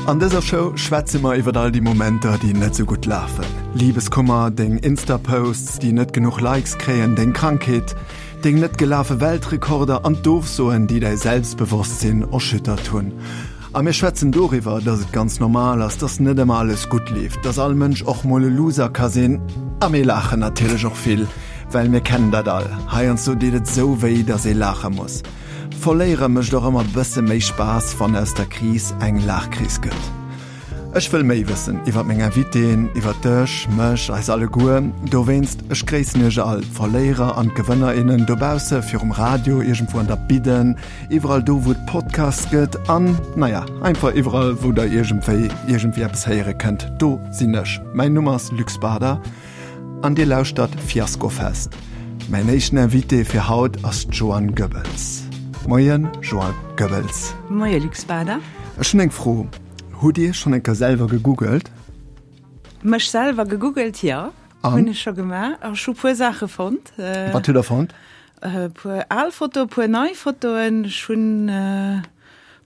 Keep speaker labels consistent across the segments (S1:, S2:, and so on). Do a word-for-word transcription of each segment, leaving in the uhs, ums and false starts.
S1: An dëser Show schwätze mer iwwer all déi Momenter, déi net sou gutt lafen. Libeskummer, deng Insta-Posts, déi net genuch Likes kréien, deng Krankheet, deng net gelafe Weltrekorder an d'Ofsoen, déi däi Selbstbewosstsinn erschüttert hunn. A mir schwätzen doriwwer, dass et ganz normal ass, dass net ëmmer alles gutt leeft, dass all Mënsch och mol e Loser ka sinn. A mir laachen natierlech och vill, well mir kennen dat all, heiansdo deet et sou wéi, dass ee laache muss. Verléiere mécht och ëmmer bësse méi Spaass, wann aus der Kris eng Laachkris gëtt. Ech wëll méi wëssen iwwer meng Invitéen, iwwer dech, mech, eis alleguer. Dowéinst, ech gréissen iech all, d'Verléierer an d'Gewënner, innen dobausse virum Radio, iergendwou an der Bidden, iwwerall do wou et Podcasts gëtt an, naja, einfach iwwerall wou der iergendwéi iergendwéi eppes héiere kënnt, do sinn ech. Mäin Numm ass Luc Bader. An dir lauschtert Fiaskofest. Mäin éischten Invité fir haut ass d'Joanne Goebbels. Moien Joanne Goebbels.
S2: Moie Luc Bader.
S1: Ech hunn eng Fro, Hutt Dir schonn eng Kéier selwer gegoogelt?
S2: Mech selwer gegoogelt, jo.
S1: An?
S2: Hunn ech scho gemaach. Ech hu puer Saache fonnt.
S1: Wat hutt Der fonnt?
S2: E puer al Fotoen, e puer nei Fotoen. Ech hunn e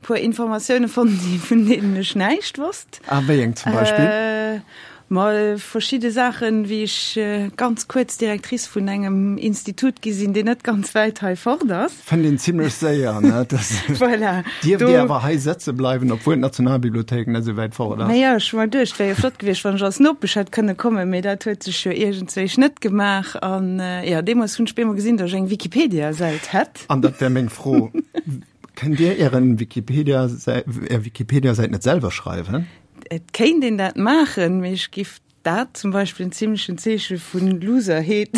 S2: puer Informatioune fonnt, déi vun deenen ech näischt wosst.
S1: Ah, wéi eng zum Beispill?
S2: Ma verschidde Saachen, wéi ech ganz kuerz Directrice vun engem Institut gi sinn, deen net ganz wäit hei fort ass.
S1: Fënnt een zimlech séier, ne? Das
S2: Voilà.
S1: Dierft
S2: Do
S1: Dir awer hei sëtze bleiwen, obwuel d'Nationalbibliothéik net esou wäit fort ass?
S2: Naja, ech hu mer geduecht, et wär jo flott gewiescht, wann ech als Nopesch hätt kënne kommen, mee dat huet sech jo iergendzwéich net gemaach. An jo, deemools hunn ech bemol gesinn, datt ech eng Wikipedia-Säit hätt.
S1: An dat wär meng Fro. Kënnt Dir Ären Wikipedia, Är Wikipedia-Säit net selwer schreiwen?
S2: Et kéint een dat maachen, mee ech giff dat zum Beispill en zimlechen Zeeche vu Loserheet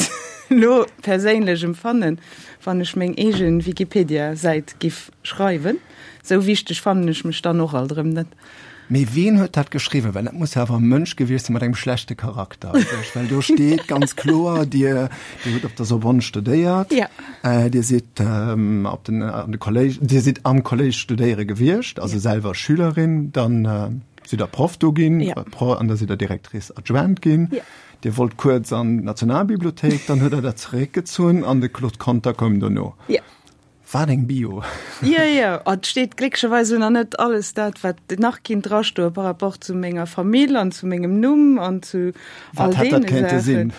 S2: elo perséinlech emfannen, wann ech meng eege Wikipedia-Säit giff schreiwen. Sou wichteg fannen ech mech dann och alt erëm net.
S1: Mee ween huet dat geschriwwen? Well dat muss jo awer e Mënsch gewiescht sinn mat engem schlechte Charakter u sech, well do steet ganz kloer, Dir, Dir hutt op der Sorbonne studéiert, Dir sidd op den, an de Kolléisch, Dir sidd am Kolléisch studéiere gewiescht, also selwer Schülerin, dann sidd Der Proff do ginn, an da sidd Der Directrice adjointe ginn. Dir wollt kuerz an d'Nationalbibliothéik, dann huet Der dat zeréckgezunn an de Claude Conter koum dono. Wat eng Bio!
S2: Jo, jo, et steet glécklecherweis elo nach net alles dat, wat nach kinnt drastoe par rapport zu menger Famill an zu mengem Numm an zu all
S1: Wat hätt dat
S2: deene
S1: kéinte
S2: Saachen.
S1: sinn?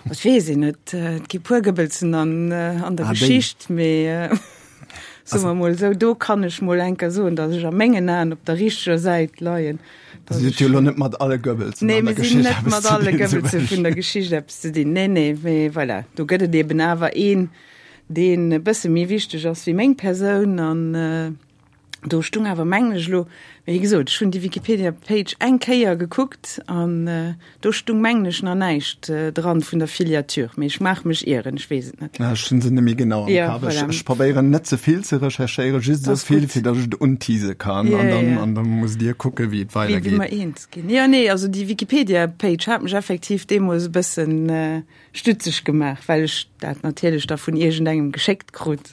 S2: Dat weess een net. Et gi puer Goebbelsen an, an der
S1: Ah, déi.
S2: Geschicht, mee soe mer mol esou, do kann ech mol eng Kéier soen, datt ech a mengen Aen op der richteger Säit leien.
S1: Dass Dir hutt jo elo net mat alle Goebbelsen
S2: Nee,
S1: an der
S2: mir sinn
S1: Geschicht
S2: net
S1: eppes
S2: mat
S1: ze
S2: alle
S1: dinn,
S2: Goebbelse
S1: esouwäit
S2: vun der
S1: ech.
S2: Geschicht eppes ze dinn. Nee, nee, mee voilà, do gëtt et eben awer een, deen e bësse méi wichteg ass wéi meng Persoun an do stung awer mengen ech elo, wéi gesot, ech hunn déi Wikipedia Page eng Kéier gekuckt an do stung mengen ech nach näischt dran vun der Filiature, mee ech maach mech ieren, ech weess et net.
S1: Ja, ech hunn se net méi genau am
S2: Ja,
S1: Kaf. Ech,
S2: voilà.
S1: ech probéieren net ze vill ze recherchéieren, just esou
S2: Ass
S1: vill,
S2: gutt.
S1: fir datt ech et untease kann
S2: Ja,
S1: an dann,
S2: ja.
S1: an dann musst Dir kucke wéi et
S2: Wéi, wéi mer
S1: weidergeet.
S2: eens ginn. Jo, nee, also déi Wikipedia Page hat mech effektiv deemools e bëssen stutzeg gemaach, well ech dat natierlech da vun iergendengem geschéckt krut.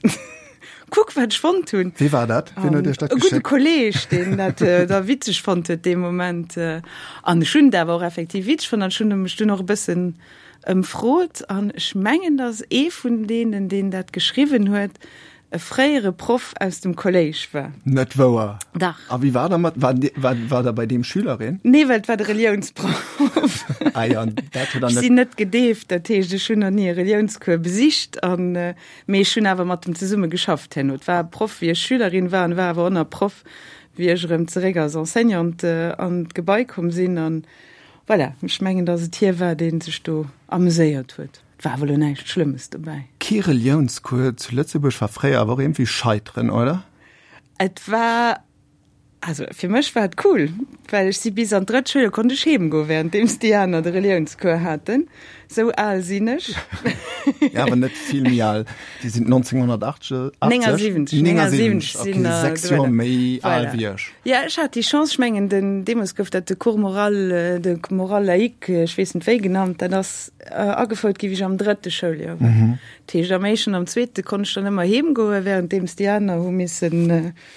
S2: Kuck, wat ech fonnt hunn!
S1: Wie war dat? Wien huet Iech dat
S2: E gudde
S1: geschéckt?
S2: Kolleeg, deen dat da witzeg fonnt huet dee Moment. An ech hunn et awer och effektiv witzeg fonnt an ech hunn mech dunn och e bëssen ëmfrot. An ech mengen, datt ee vun deenen, deen dat geschriwwen huet, e fréiere Proff aus dem Kolléisch war.
S1: Net wouer?
S2: Dach.
S1: A wéi war der mat, war, war, war der bei deem Schülerin?
S2: Nee, well et war de Reliounsproff.
S1: Ah ja, dat huet dann
S2: Ech
S1: net.
S2: sinn net gedeeft, dat heescht, ech hunn nach ni e Reliounscours besicht an, mee ech hunn awer mat em zesumme geschafft herno. Et war e Proff, wéi ech Schülerin war, an war awer och nach Proff, wéi ech erëm zeréck als Enseignante an d'Gebai komm sinn. An voilà, ech mengen, datt et hie war, dee sech do ameséiert huet. Et war awer elo näischt Schlëmmes dobäi.
S1: Kee Reliounscours zu Lëtzebuerg war fréier awer och iergendwéi scheiteren, oder?
S2: Et war, also fir mech war et cool, well ech si bis an d'drëtt Schouljoer konnt ech heem goen, wärenddeems déi aner de Reliounscours haten. Sou al sinn ech.
S1: Ja, awer net vill méi al. Dir sidd neunzehnhundertachtzeg?
S2: néngasiwwenzeg,
S1: néngasiwwenzeg,
S2: sinn
S1: okay,
S2: der,
S1: sechs Joer
S2: voilà.
S1: méi al
S2: Voilà.
S1: wéi ech.
S2: Ja, ech hat déi Chance, ech mengen, den, deemools gouf dat de Cours moral, de moral laïque, ech weess net wéi genannt, dat ass agefouert gi wéi ech am drëtte Schouljoer war. Dat heescht, am éischten an am zweete konnt ech dann ëmmer heem goen, wärenddeems déi aner hu missen, ech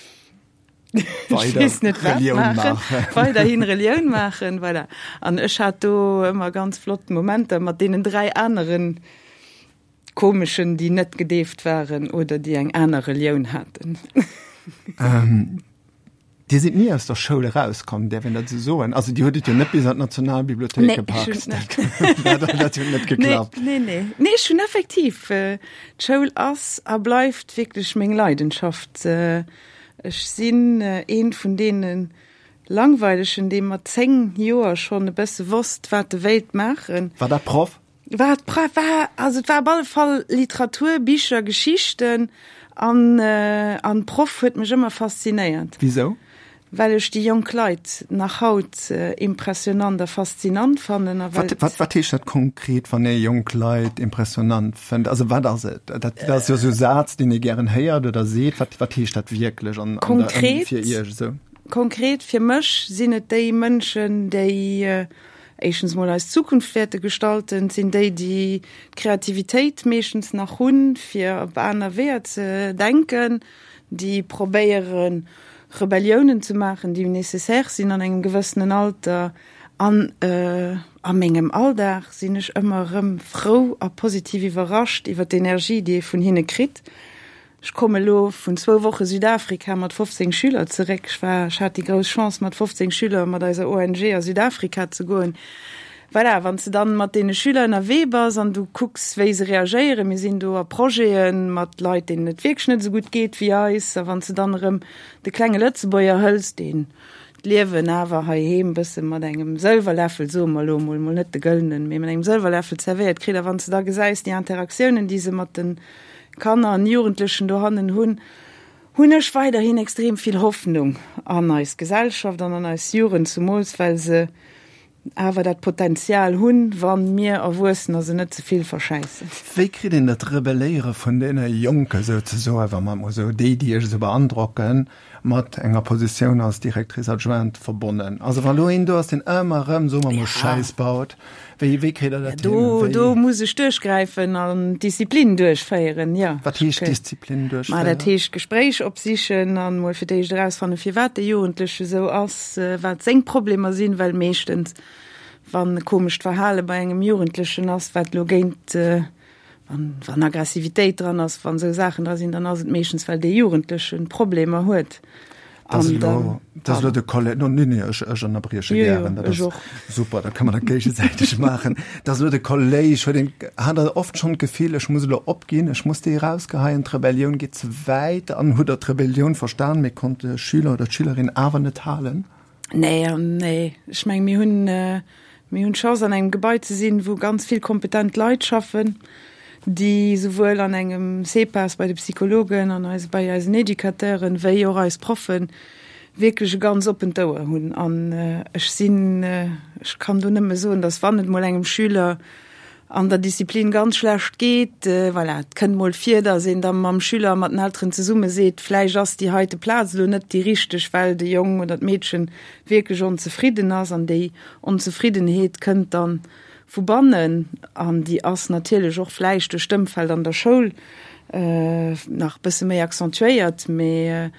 S1: Weider
S2: weess net wat
S1: Relioun
S2: maachen,
S1: maachen.
S2: weiderhin Relioun maachen, voilà. An ech hat do ëmmer ganz flott Momenter mat deenen dräi aneren komeschen, déi net gedeeft waren oder déi eng aner Relioun haten.
S1: Dir sidd ni aus der Schoul erauskomm, däerf een dat esou soen? Also Dir hutt et jo net bis an d'Nationalbibliothéik
S2: Nee,
S1: gepackt.
S2: ech hunn et
S1: Dat, dat huet net
S2: Nee,
S1: geklappt.
S2: nee, nee. Nee, ech hunn effektiv, d'Schoul ass a bleift wierklech meng Leidenschaft. Ech sinn eent vun deene Langweilegen, dee mat zéng Joer schonn e bësse wosst, wat e wéilt maachen.
S1: War dat Proff?
S2: War et war, also et war op alle Fall Literatur, Bicher, Geschichten an an Proff huet mech ëmmer faszinéiert.
S1: Wisou?
S2: Well ech déi jonk Leit nach haut impressionant a faszinant fannen a well.
S1: Wat wat wat heescht dat konkret, wann ee jonk Leit impressionant fënnt? Also wat ass et? Dat dat ass jo esou e Saz, deen ee gären héiert oder seet. Wat wat heescht dat wierklech an an der
S2: Konkret,
S1: fir Iech esou?
S2: Konkret fir mech sinn et déi Mënschen, déi éischtens mol eis Zukunft wäerte gestalten, et sinn déi, déi d'Kreativitéit meeschtens nach hunn, fir op aner Weeër ze denken, déi probéieren, Rebelliounen ze maachen, déi nécessaire sinn an engem gewëssenen Alter. An a mengem Alldag sinn ech ëmmer erëm frou a positiv iwwerrascht iwwer d'Energie, déi ee vun hinne kritt. Ech komme elo vun zwou Woche Südafrika mat fofzéng Schüler zeréck. Ech war, ech hat déi grouss Chance, mat fofzéng Schüler mat eiser O N G a Südafrika ze goen. Voilà, wann s de dann mat deene Schüler ënnerwee bass an du kucks, wéi se reagéieren, mir sinn do a Projete mat Leit, deenen et wierklech net esou gutt geet wéi eis, a wann s de dann erëm de klenge Lëtzebuerger hëls, deen d'Liewen awer heiheem bësse mat engem Sëlwerläffel, soe mer elo emol, mol net de gëllenen, mee mat engem Sëlwerläffel zerwéiert kritt, a wann s de da gesäis, déi Interaktiounen, déi se mat de Kanner an Jugendlechen dohannen hunn, hunn ech weiderhin extrem vill Hoffnung an eis Gesellschaft an an eis Jugend, zumools well se awer dat Potenzial hunn, wa mir Erwuessener se net ze vill verschäissen.
S1: Wéi kritt een dat Rebelléiere vun deene Jonke souzesoen, wa mer emol esou déi, déi Iech esou beandrocken, mat enger Positioun als Directrice adjointe verbonnen? Also wa lo een do ass, deen ëmmer erëm, soe mer emol, Schäiss baut, wéi, wéi kritt Der dat hin?
S2: Do,
S1: Wéi?
S2: do muss ech duerchgräifen an Disziplin duerchféieren, jo.
S1: Wat heescht Disziplin
S2: Ma dat
S1: duerchféieren?
S2: heescht Gespréich opsichen an emol fir d'éischt erausfannen, firwat dee Jugendleche esou ass, wat seng Problemer sinn, well meeschtens, wann e komescht Verhale bei engem Jugendlechen ass, wat elo géint, wann, wann Aggressivitéit dran ass, wann esou Saachen dra sinn, dann ass et meeschtens, well dee Jugendleche Problemer huet.
S1: Dat ass
S2: An
S1: elo,
S2: dann,
S1: dat ass elo de Kolleg, no, nee, nee, ech, ech ënnerbrieche
S2: Jo, jo,
S1: gären, dat
S2: ech
S1: ass
S2: och.
S1: super, da kënne mer dat géigesäiteg maachen. Dat ass elo de Kolleg, huet een, hat Der oft schonn d'Gefill, ech muss elo opginn, ech muss déi erausgeheien, d'Rebellioun geet ze wäit, an hutt Der d'Rebellioun verstan, mee konnt de Schüler oder d'Schülerin awer net halen?
S2: Nee, nee. Ech meng, mir hunn, mir hunn d'Chance, an engem Gebai ze sinn, wou ganz vill kompetent Leit schaffen, déi souwuel an engem CEPAS bei de Psychologen an eis, bei eisen Educateuren, wéi och eis Proffen wierklech e ganz oppent Ouer hunn. An ech sinn, ech kann do nëmme soen, dass wann et mol engem Schüler an der Disziplin ganz schlecht geet, voilà, et kënnt mol vir, dass een da mam Schüler, mat den Elteren zesumme seet, vläicht ass déi heite Plaz elo net déi richteg, well de Jong oder d'Meedchen wierklech onzefridden ass an déi Onzefriddenheet kënnt dann vu bannen an déi ass natierlech och vläicht duerch d'Ëmfeld an der Schoul nach bësse méi accentuéiert, mee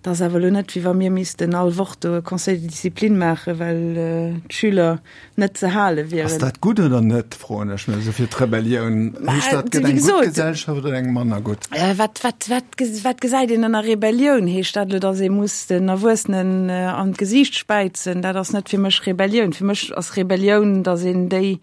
S2: Et ass awer elo net, wéi wa mir missten all Woch do e Conseil de discipline maachen, well d'Schüler net ze hale
S1: Ass
S2: wieren.
S1: dat gutt oder net, froen ech mech, esou fir d'Rebellioun? Heescht dat, gëtt
S2: Wéi
S1: eng gutt
S2: gesot,
S1: Gesellschaft oder eng manner gutt?
S2: Wat, wat, wat, wat gesäit een ënner Rebellioun? Heescht dat elo, datt ee muss den Erwuessenen an d'Gesiicht späizen? Dat ass net fir mech Rebellioun. Fir mech ass Rebellioun, datt een déi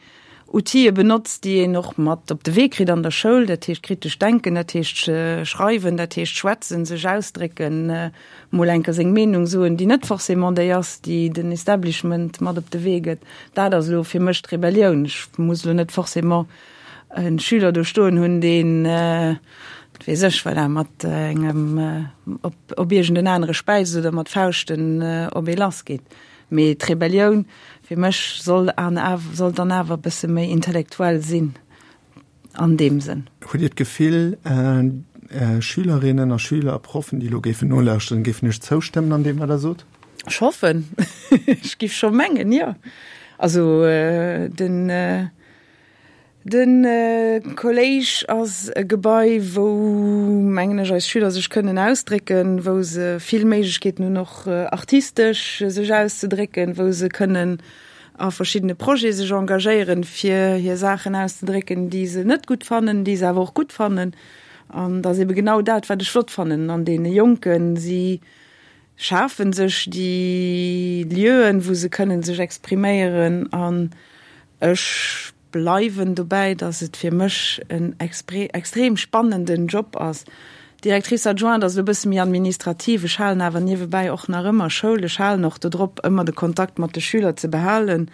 S2: Outile benotzt, déi een och mat op de Wee kritt an der Schoul, dat heescht kritescht Denken, dat heescht schreiwen, dat heescht schwätzen, sech ausdrécken, mol eng Kéier seng Meenung soen, déi net forcément déi ass, déi den Establishment mat op de Wee gëtt. Dat ass elo fir mech d'Rebellioun. Ech muss elo net forcément e Schüler do stoen hunn, deen, wat weess ech, voilà, mat engem op, op iergend en anere späizt oder mat Fauschten op ee lassgeet. Mee d'Rebellioun fir mech soll an soll dann awer e bësse méi intellektuell sinn an deem Sënn.
S1: Hutt Dir d'Gefill, Schülerinnen a Schüler a Proffen, déi elo géifen nolauschteren, géifen Iech zoustëmmen an deem, wat Der sot?
S2: Ech hoffen. Ech géif scho mengen, jo. Also den. De Kolléisch ass e Gebai, wou, mengen ech, eis Schüler sech kënnen ausdrécken, wou se vill Méiglechkeeten hunn, och artistesch sech auszedrécken, wou se kënnen a verschiddene Projete sech engagéieren, fir hir Saachen auszedrécken, déi se net gutt fannen, déi se awer och gutt fannen. An dat ass ebe genau dat, wat ech flott fannen an deene Jonken. Si schafe sech déi Lieuen, wou se kënnen sech expriméieren an ech bleiwen dobäi, dass et fir mech en extrem spannenden Job ass. Directrice adjointe ass elo e bësse méi administrativ, ech halen awer niewebäi och nach ëmmer Schoul, ech halen och dodrop, ëmmer de Kontakt mat de Schüler ze behalen,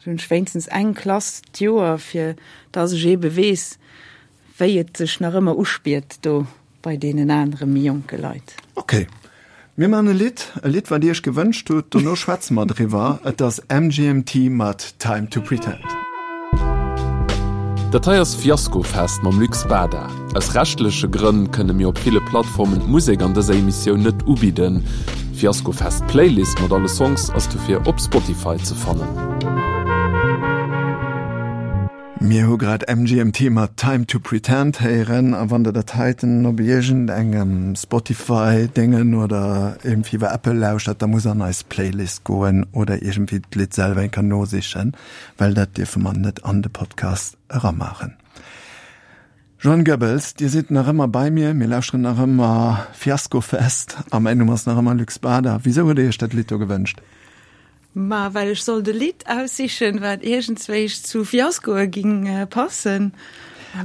S2: esou hunn ech wéinstens eng Klass d'Joer, fir dass ech eebe weess, wéi et sech nach ëmmer uspiert do bei deenen anere méi jonke Leit.
S1: Ok. Mir maachen e Lidd, e Lidd, wat Dir Iech gewënscht hutt. Dono schwätze mer driwwer. Et ass M G M T mat Time to Pretend.
S3: Dat hei ass Fiaskofest mam Luc Spada. Aus rechtleche Grënn kënne mir op ville Plattformen d'Musek an dëser Emissioun net ubidden. D'Fiaskofest Playlist mat alle Songs ass dofir op Spotify ze fannen.
S1: Mir hu grad M G M T mat Time to Pretend héieren a wann der dat heiten op iergend engem Spotify Déngen oder iergendwéi iwwer Apple lauschtert, da musst der an eis Playlist goen oder iergendwéi d'Lidd selwer eng Kéier nosichen, well dat dierfe mer net an de Podcast eramaachen. Joanne Goebbels, Dir sidd nach ëmmer bei mir, mir lauschteren nach ëmmer Fiaskofest a mäin Numm ass nach ëmmer Luc Spada. Wisou hutt Dir Iech dat Lidd do gewënscht?
S2: Ma well ech sollt e Lidd aussichen, wat iergendzwéich zu Fiaskoe ging passen.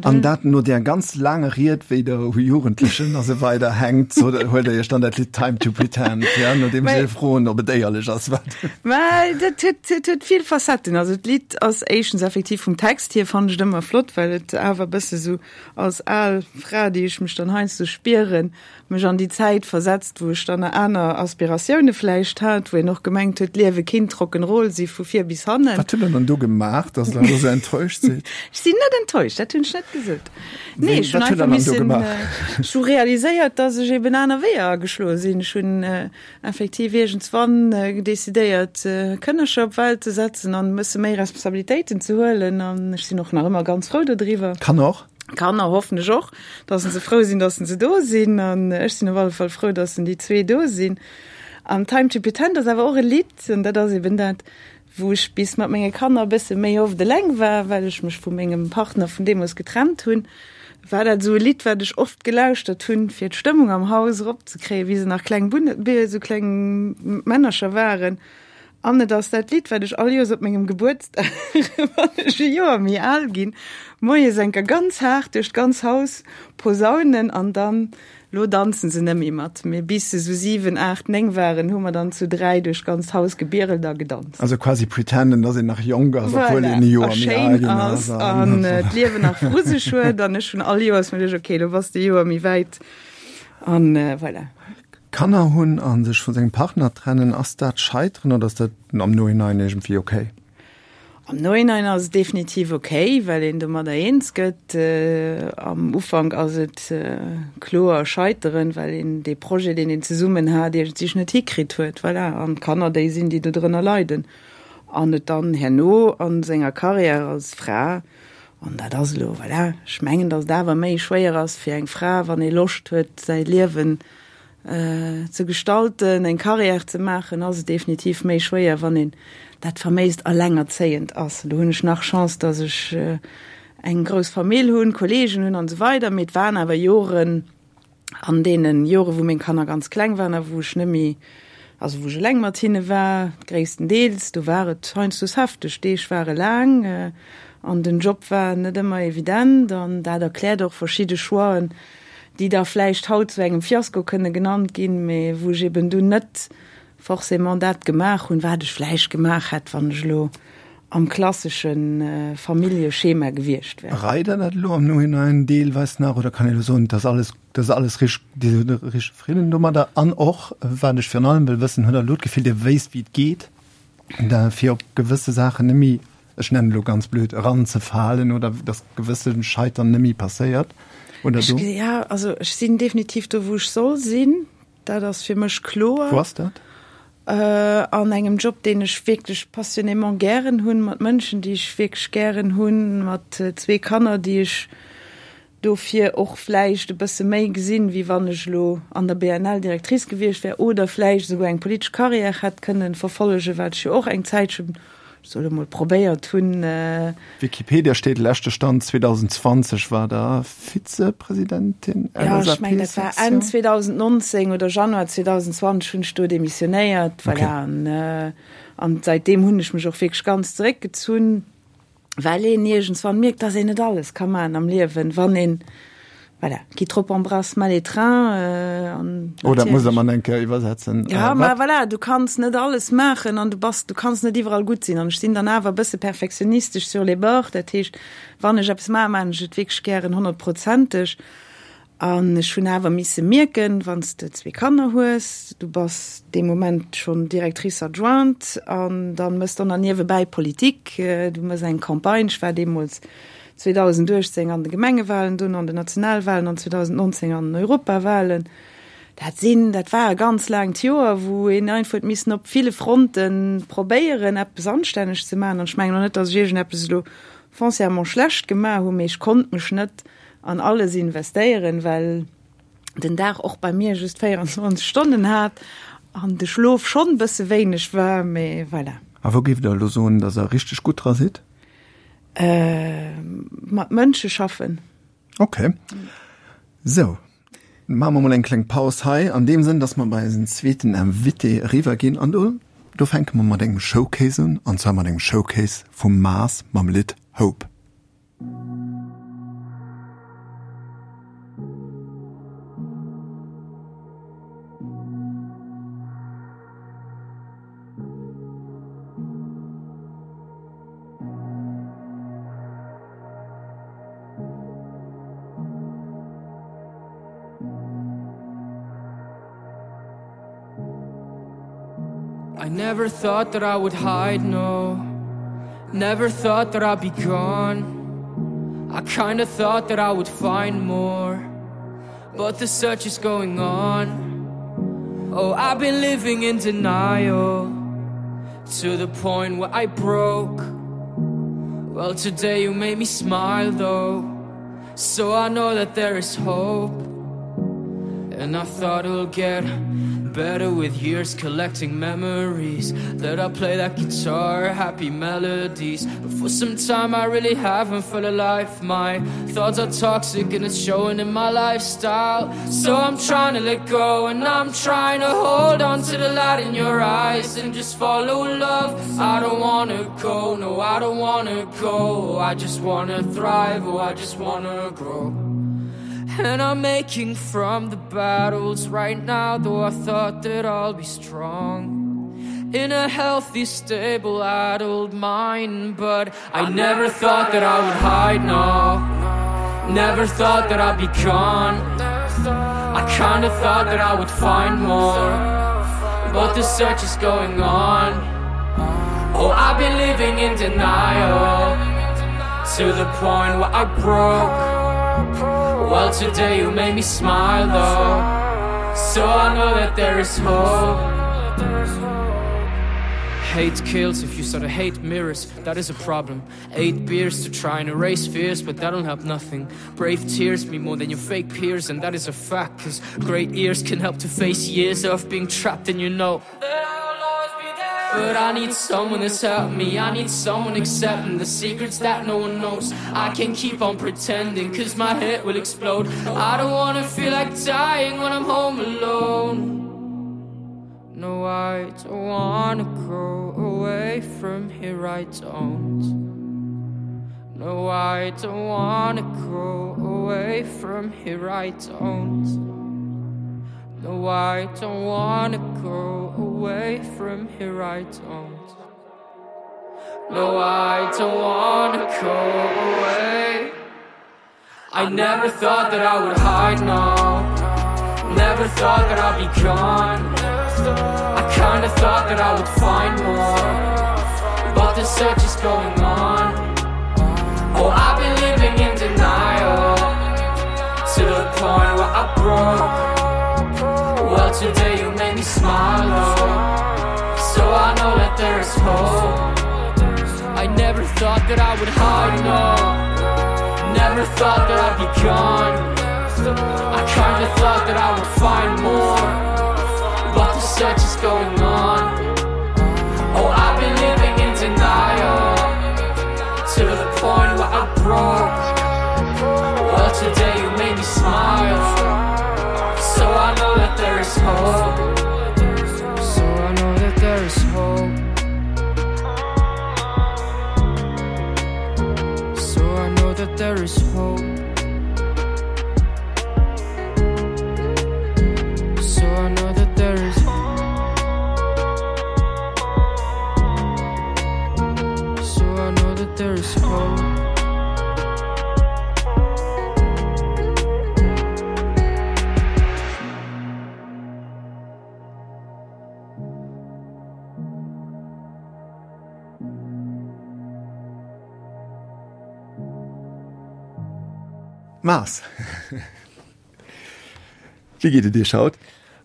S1: An dat no där ganz laanger Ried, wéi der u Jugendlechen a sou weider hänkt, sou huelt der Iech dann dat Lidd Time to Pretend, ja, nodeem se froen, ob et éierlech ass, wat.
S2: Mä dat huet, dat huet vill Facetten. Also d'Lidd ass éischtens effektiv vum Text hier fannen ech et ëmmer flott, well et awer e bësse sou als al Fra, déi ech mech dann heiansdo spieren, mech an déi Zäit versetzt, wou ech dann nach aner Aspiratioune vläicht hat, wou een och gemengt huet, d'Liewe kinnt Rock'n'Roll si vu vir bis hannen.
S1: Wat hutt Der dann do gemaach, dass Der elo sou enttäuscht sidd?
S2: Ech sinn net enttäuscht, dat hunn ech net gesot. Nee,
S1: Wéi,
S2: ech hunn
S1: wat hutt
S2: einfach
S1: Der dann do
S2: missen,
S1: gemaach?
S2: ech hu realiséiert, dass ech eben aner Weeër ageschloe sinn. Ech hunn effektiv iergendswann decidéiert, Kënnercher op d'Welt ze setzen an e bësse méi Responsabilitéiten ze huelen an ech sinn och nach ëmmer ganz frou dodriwwer.
S1: Kanner och?
S2: Kanner hoffen ech och, dass se frou sinn, dass se do sinn an ech sinn op alle Fall frou, dass déi zwee do sinn. An Time to Pretend ass awer och e Lidd an dat ass eben dat, wou ech bis mat menge Kanner e bësse méi oft eleng war, well ech mech vu mengem Partner vun deemools getrennt hunn, war dat esou e Lidd, wat ech oft gelauschtert hunn, fir d'Stëmmung am Haus eropzekréien, wéi se nach kleng Bunne, esou kleng Männercher waren. An et ass dat Lidd, wat ech all Joers op mengem Gebuertsdag, wann ech e Joer méi al ginn, moies eng Kéier ganz haart duerch d'ganz Haus posaunen an dann, lo danzen se net méi mat, mee bis se sou siwen, aacht, néng waren, hu mer dann zu dräi duerch d'ganzt Haus gebierelt a gedanzt.
S1: Also quasi pretenden, dass een nach jonk ass, obwuel
S2: Voilà,
S1: een e
S2: a
S1: Joer méi al
S2: schéin
S1: ginn
S2: ass
S1: ass an
S2: an d'Liewen nach vru sech huet. An ech hunn all Joers mir geduecht, okay, lo bass de e Joer méi wäit an voilà.
S1: Kanner hunn a sech vu sengem Partner trennen, ass dat Scheiteren oder ass dat am Nohinein iergendwéi ok?
S2: Am Nohinein ass et definitiv ok, well een domadder eens gëtt. Am Ufank ass et kloer Scheiteren, well een dee Projet, deen een zesummen hat, iergendsich net hikritt huet. Voilà, an d'Kanner déi sinn, déi dodrënner leiden. An et dann herno a senger Karriär als Fra, an dat ass elo, voilà, ech mengen, datt et awer méi schwéier ass fir eng Fra, wann ee Loscht huet, säi Liewen ze gestalten, eng Carrière ze maachen, ass et definitiv méi schwéier, wann een dat faméist Allengerzéiend ass. Do hunn ech nach Chance, datt ech eng grouss Famill hunn, Kolleegen hunn an esou weider, mee et waren awer Joren, an deene Jore wou meng Kanner ganz kleng waren a wou ech net méi, also wou ech eleng mat hinne war, gréisstendeels, do war et heiansdo hefteg. D'Deeg ware laang an den Job war net ëmmer evident an dat erkläert och verschidde Choixen, déi da vläicht haut zu engem Fiasko kënne genannt ginn, mee wou ech eben dunn net forcément dat gemaach hunn, wat ech vläicht gemaach hätt, wann ech elo am klassesche Familljeschema gewiescht wär.
S1: Bereit Der dat elo am Nohinein deelweis nach oder kann een elo soen, et ass alles, et ass alles richteg, Dir sidd richteg zefridden domadder? An och, wat ech virun allem wëll wëssen, hutt Der elo d'Gefill, Dir wéisst, wéi et geet, da fir op gewësse Saachen net méi, ech nennen elo ganz blöd, eranzefalen oder dass gewësse Scheitern net méi passéiert oder
S2: Ech,
S1: do?
S2: ja, also ech sinn definitiv do, wou ech soll sinn. Dat ass fir mech kloer.
S1: Wou ass dat?
S2: An engem Job, deen ech wierklech passionnément gären hunn, mat Mënschen, déi ech wierklech gären hunn, mat zwee Kanner, déi ech dofir och vläicht e bësse méi gesinn, wéi wann ech elo an der B N L Directrice gewiescht wär oder vläicht esouguer eng politesch Carrière hätt kënnen verfollegen, wat ech jo och eng Zäitchen soe mer mol probéiert hunn.
S1: Wikipedia steet leschte Stand zweedausendzwanzeg war Der Vizepresidentin.
S2: Jo, ech mengen dat war Enn zweedausendnonzéng oder Januar zweedausendzwanzeg hunn ech do demissionéiert, voilà, an an säitdeem hunn ech mech och wierklech ganz zeréckgezunn, well een iergendswann mierkt, dass een net alles ka maachen am Liewen, wann een, voilà, qui trop embrasse mal étreint, an
S1: Oh, dat muss Der mer eng Kéier iwwersetzen.
S2: Ja, ma voilà, du kanns net alles maachen an du bass, du kanns net iwwerall gutt sinn. An ech sinn dann awer e bësse perfektionistesch sur les bords, dat heescht, wann ech eppes maachen, maachen ech et wierklech gären honnertprozenteg. An ech hunn awer misse mierken, wann s de zwee Kanner hues, du bass dee Moment schonn Directrice adjointe an dann méchs de nach niewebäi Politik, du méchs eng Campagne, ech war deemools zweedausenduechtzéng an de Gemengewahlen, dunn an den Nationalwahlen an zweedausendnonzéng an den Europawahlen. Dat sinn, dat war e ganz laangt Joer, wou een einfach huet missen op ville Fronte probéieren, eppes anstänneg ze maachen. An ech mengen och net, datt ech iergendeppes elo foncièrement schlecht gemaach hunn, mee ech konnt mech net an alles investéieren, well den Dag och bei mir just véierundzwanzeg Stonnen hat an de Schlof schonn e bësse wéineg war, mee voilà.
S1: A wou géift Der elo soen, datt Der richteg gutt dra sidd?
S2: Mat Mënsche schaffen.
S1: Ok. Sou, maache mer mol eng kleng Paus hei, an deem Sënn, dass mer bei eisen zweeten Invité eriwwer ginn. An do, do fänke mer mat engem Showcase un, an zwar mat engem Showcase vum Maas mam Lidd Hope.
S4: I never thought that I would hide, no. Never thought that I'd be gone. I kinda thought that I would find more. But the search is going on. Oh, I've been living in denial. To the point where I broke. Well, today you made me smile though. So I know that there is hope. And I thought it'll get better with years collecting memories that I play that guitar, happy melodies. But for some time I really haven't felt alive. My thoughts are toxic and it's showing in my lifestyle. So I'm trying to let go and I'm trying to hold on to the light in your eyes and just follow love. I don't wanna go, no, I don't wanna go. I just wanna thrive, oh, I just wanna grow. And I'm making from the battles right now, though I thought that I'll be strong. In a healthy, stable, adult mind, but I never thought that I would hide, no. Never thought that I'd be gone. I kinda thought that I would find more, but the search is going on. Oh, I've been living in denial to the point where I broke. Well, today you made me smile though, so I know that there is hope. Hate kills if you start to hate mirrors, that is a problem. Eight beers to try and erase fears, but that'll help nothing. Brave tears mean more than your fake peers, and that is a fact, cause great ears can help to face years of being trapped and you know. But I need someone that's helped me. I need someone accepting the secrets that no one knows. I can't keep on pretending, cause my head will explode. I don't wanna feel like dying when I'm home alone. No, I don't wanna go away from here, I don't. No, I don't wanna go away from here, I don't. No, I don't wanna go away from here, I don't. No, I don't wanna go away. I never thought that I would hide, no. Never thought that I'd be gone. I kinda thought that I would find more, but the search is going on. Oh, I've been living in denial to the point where I broke. Well, today you made me smile, oh, so I know that there is hope. I never thought that I would hide, no. Never thought that I'd be gone. I kinda thought that I would find more, but the search is going on. Oh, I've been living in denial.
S1: Maas. Wéi geet et Iech haut?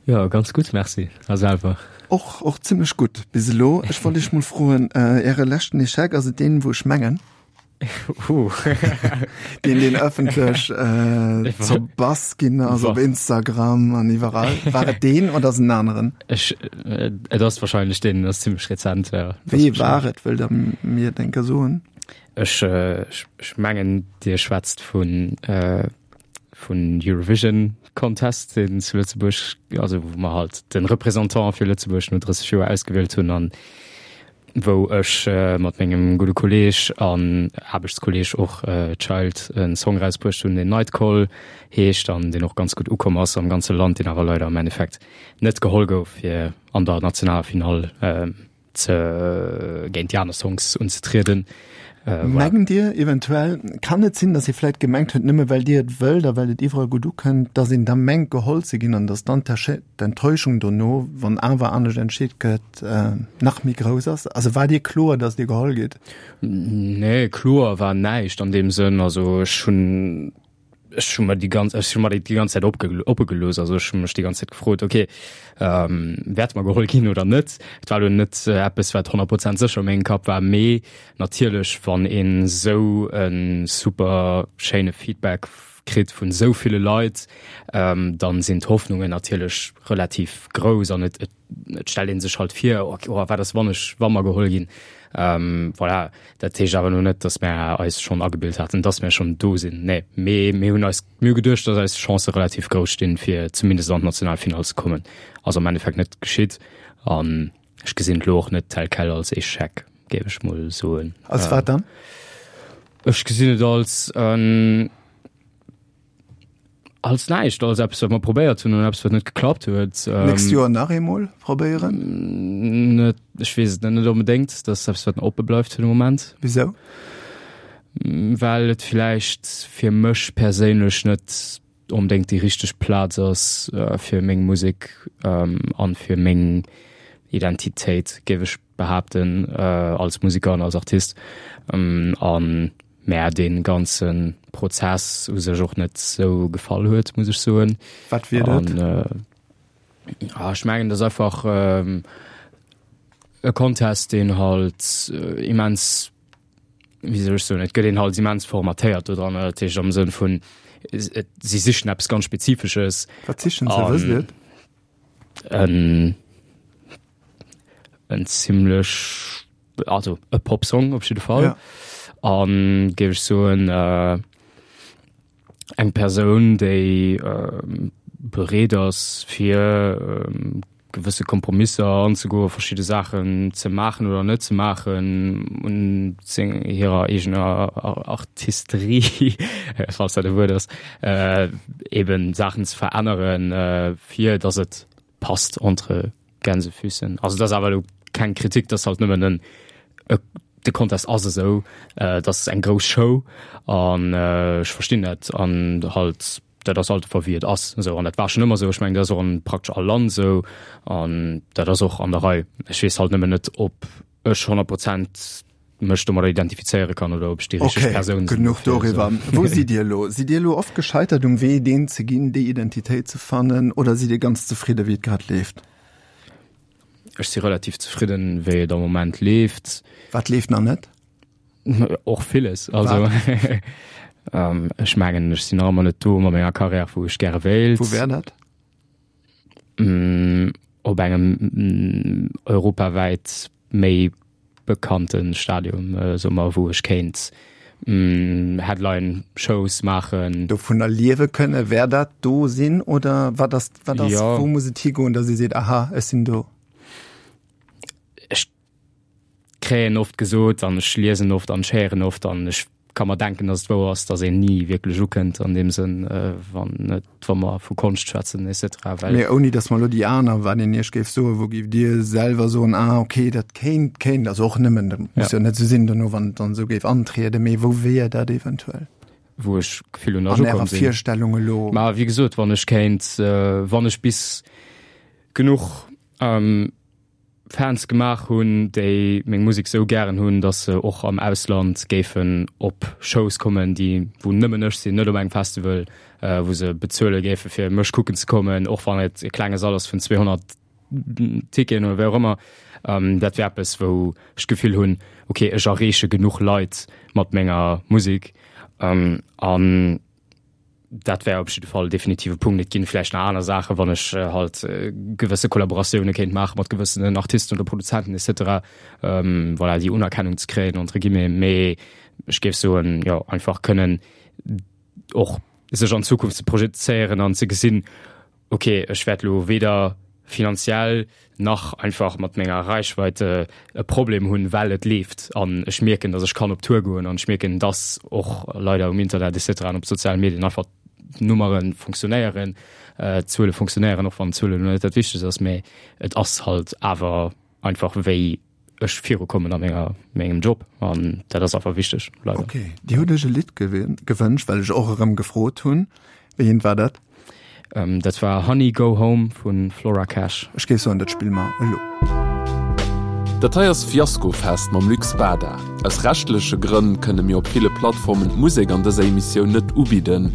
S5: Jo, ganz gutt, merci. A selwer?
S1: Och, och zimlech gutt bis elo. Ech wollt Iech mol froen, Äre leschten Echec, ass et deen, wou ech mengen?
S5: Uh.
S1: Deen, deen ëffentlech äh, zur Bass ginn ass op Instagram an iwwerall. War et deen oder ass en aneren?
S5: Ech, äh, et ass wahrscheinlech deen, ass zimmlech rezent. Ja.
S1: Wéi war et, wëllt Der mir et eng Kéier soen?
S5: Ech, äh, ech, ech mengen, Dir schwätzt vun äh, vun Eurovision Contest, deen zu Lëtzebuerg, also wou mer halt den Représentant fir Lëtzebuerg no drësseg Joer ausgewielt hunn an wou ech mat mengem gudde Kolleg an Aarbechtskolleg och Child en Song erausbruecht hunn, deen Night Call heescht an deen och ganz gutt ukomm ass am ganze Land, deen awer leider am Endeffekt net geholl gouf fir an der nationaler Finall ze géint déi aner Songs unzetrieden.
S1: Äh, Mengt Dir eventuell, kann et sinn, datt ee vläit gemengt huet, nëmme well Dir et wëllt a well et iwwerall gutt ukënnt, datt een da mengt geholl ze ginn an datt dann d'Enttäuschung dono, wann awer anescht entscheet gëtt, nach méi grouss ass? Also war Dir kloer, datt Dir geholl gitt?
S5: Nee, kloer war näischt an deem Sënn. Also ech hunn ech hu mer déi ganz ech hu mer déi ganz Zäit oppe oppe gelooss. Also ech hu mech déi ganz Zäit gefrot, okay, ähm, wäerte mer geholl ginn oder net? Et war elo net äh, eppes, wat honnert Prozent sécher a mengem Kapp war, mee natierlech, wann een esou e super schéine Feedback kritt vun esou ville Leit, ähm, dann sinn d'Hoffnungen natierlech relativ grouss an et, et et stellt een sech halt vir, oh, oh, wat ass wann ech wa mer geholl ginn. Ähm, voilà. Dat heescht awer elo net, datt mär eis schonn agebilt haten, datt mär schonn do sinn. Nee, mee mir hunn eis mir hu geduecht, datt eis Chancë relativ grouss stinn, fir zumindest an d'national Finall ze kommen. Ass am Endeffekt net geschitt an ech gesinn et elo och net tel quel als Echec, géif ech mol soen.
S1: Als wat dann?
S5: Ech gesinn et als en Als näischt, als eppes, wat mer probéiert hunn an eppes, wat net geklappt huet.
S1: Nächst Joer nach eemol probéieren?
S5: Net, ech weess et net, net onbedéngt. Dat ass eppes, wat oppe bleift fir de Moment.
S1: Wisou?
S5: Well et villäicht fir mech perséinlech net onbedéngt déi richteg Plaz ass fir meng Musek an fir meng Identitéit, géif ech behaapten, als Museker an als Artist. An Mär dee ganze Prozess u sech och net sou gefall huet, muss ech soen.
S1: Wat wier dat?
S5: An ech mengen, dat ass einfach e Contest, deen halt immens, wéi soll ech soen, et gëtt een halt immens formatéiert do dran. Dat heescht am Sënn vun, si sichen eppes ganz Spezifesches.
S1: Wat sichen se, wësst Dir et?
S5: En, en zimlech. Also e Popsong op jidde Fall.
S1: Ja.
S5: An géif ech soen äh, eng Persoun, déi äh, bereet ass fir äh, gewësse Kompromisser anzegoen, verschidde Saachen ze maachen oder net ze maachen, un seng hirer eegener Artisterie, falls dat e Wuert ass, äh, eben Saachen ze veränneren, äh, fir datt et passt entre Gänsefüßen. Also dat ass awer elo keng Kritik, dat ass halt nëmmen en, de Contest ass esou, dat ass eng grouss Show an ech verstinn dat an halt dat ass halt einfach wéi et ass esou an dat war schonn ëmmer esou. Ech mengen dat ass och an praktesch all Land esou an dat ass och an der Rei. Ech weess halt nëmmen net, ob ech honnert Prozent mech domadder identifizéiere kann oder ob ech déi richteg
S1: Okay,
S5: Persoun sinn
S1: genuch
S5: dofir,
S1: doriwwer.
S5: esou.
S1: Wou sidd Dir elo? Sidd Dir elo oft gescheitert um Wee deen ze ginn, déi Identitéit ze fannen oder sidd Dir ganz zefridde wéi et grad leeft?
S5: Ech si relativ zefridden, wéi et am Moment leeft.
S1: Wat leeft nach net?
S5: Och villes. Also ech mengen, ech sinn nach ëmmer net do mat menger Karriär, wou ech gäre wéilt.
S1: Wou wär dat?
S5: Op engem europawäit méi bekannte Stadium, soe mer, wou ech kéint Headline Shows maachen.
S1: Dovunner liewe kënne, wär dat do sinn oder wat ass, wat ass,
S5: Ja.
S1: wou muss et higoen, datt Dir seet, aha, ech sinn do?
S5: Ech kréien oft gesot an ech liesen oft an ech héieren oft an ech ka mer denken, datt et wouer ass, datt een ni wierklech ukënnt an deem Sënn, wann et, wa mer vu Konscht schwätzen et cetera, well.
S1: Mee ouni datt mer elo déi aner, wat een Iech géif soen, wou géift Dir selwer soen, ah okay, dat kéint, kéint, also och nëmmen, dat muss
S5: Ja.
S1: jo net esou sinn dono, wann et dann esou géif antrieden, mee wou wier dat eventuell?
S5: Wou ech d'Gefill hunn, datt
S1: An
S5: ech
S1: Ärer
S5: ukomm sinn.
S1: Virstellung elo?
S5: Ma wéi gesot, wann ech kéint, wann ech bis genuch Fans gemaach hunn, déi meng Musek sou gären hunn, dass se och am Ausland géifen op Shows kommen, déi wou nëmmen ech sinn, net op engem Festival, wou se bezuele géife fir mech kucken ze kommen, och wann et e klenge Sall ass vun zweehonnert Ticketen oder wéi och ëmmer. Dat wär eppes, wou ech d'Gefill hunn, okay, ech erreeche genuch Leit mat menger Musek an dat wär op jidde Fall definitiv e Punkt. Et ginn vläicht nach aner Saachen, wann ech halt gewësse Kollaboratioune kéint maache mat gewëssenen Artisten oder Produzenten et cetera, voilà, déi Unerkennung ze kréien entre guillemets. Mee ech géif soen, jo, einfach kënnen och sech an d'Zukunft ze projezéieren an ze gesinn, okay, ech wäert elo weder finanziell nach einfach mat menger Reichweite e Problem hunn, well et leeft an ech mierken, dass ech kann op Tour goen an ech mierken, dass och leider um Internet et cetera an op sozialen Medien einfach d'Nummere funktionéieren, d'Zuele funktionéieren, och wann d'Zuelen elo net dat Wichtegst ass, mä et ass halt awer einfach wéi ech virukommen a menger mengem Job an dat ass einfach wichteg, leider.
S1: Ok, Dir hutt Iech e Lidd gewënscht, well ech och erëm gefrot hunn. Wéi eent war dat?
S5: Dat war Honey Go Home vu Flora Cash.
S1: Ech géif soen, dat spille mer elo.
S3: Dat hei ass Fiaskofest mam Luc Spada. Aus rechtleche Grënn kënne mir op ville Plattformen d'Musek an dëser Emissioun net ubidden.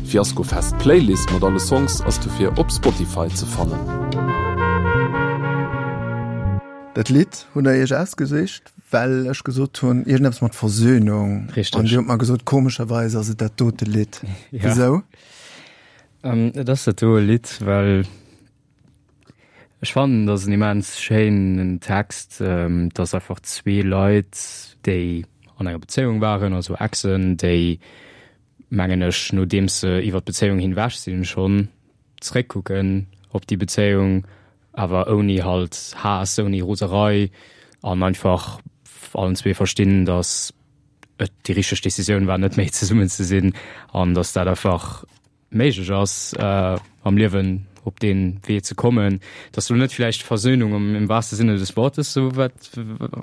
S3: D'Fiaskofest Playlist mat alle Songs ass dofir op Spotify ze fannen.
S1: Dat Lidd hutt der Iech ausgesicht, well ech gesot hunn, iergendeppes mat Versöhnung.
S5: Richteg.
S1: An Dir hutt mer gesot, komescherweis ass et dat dote Lidd.
S5: Ja.
S1: Wisou?
S5: Et ass dat doe Lidd, well ech fannen, et ass en immens schéinen Text. Et ass einfach zwee Leit, déi an enger Bezéiung waren, also Exen, déi, mengen ech, nodeems se iwwer d'Bezéiung hinwech sinn, schonn zréckkucken op déi Bezéiung, awer ouni halt Haass, ouni Roserei an einfach allen zwee verstinn, datt et déi richteg Decisioun war, net méi zesummen ze sinn an datt dat einfach méiglech ass, am Liewen op dee Wee ze kommen. Datt elo net vläicht Versöhnung im, im wahrsten Sinne des Wortes, sou wat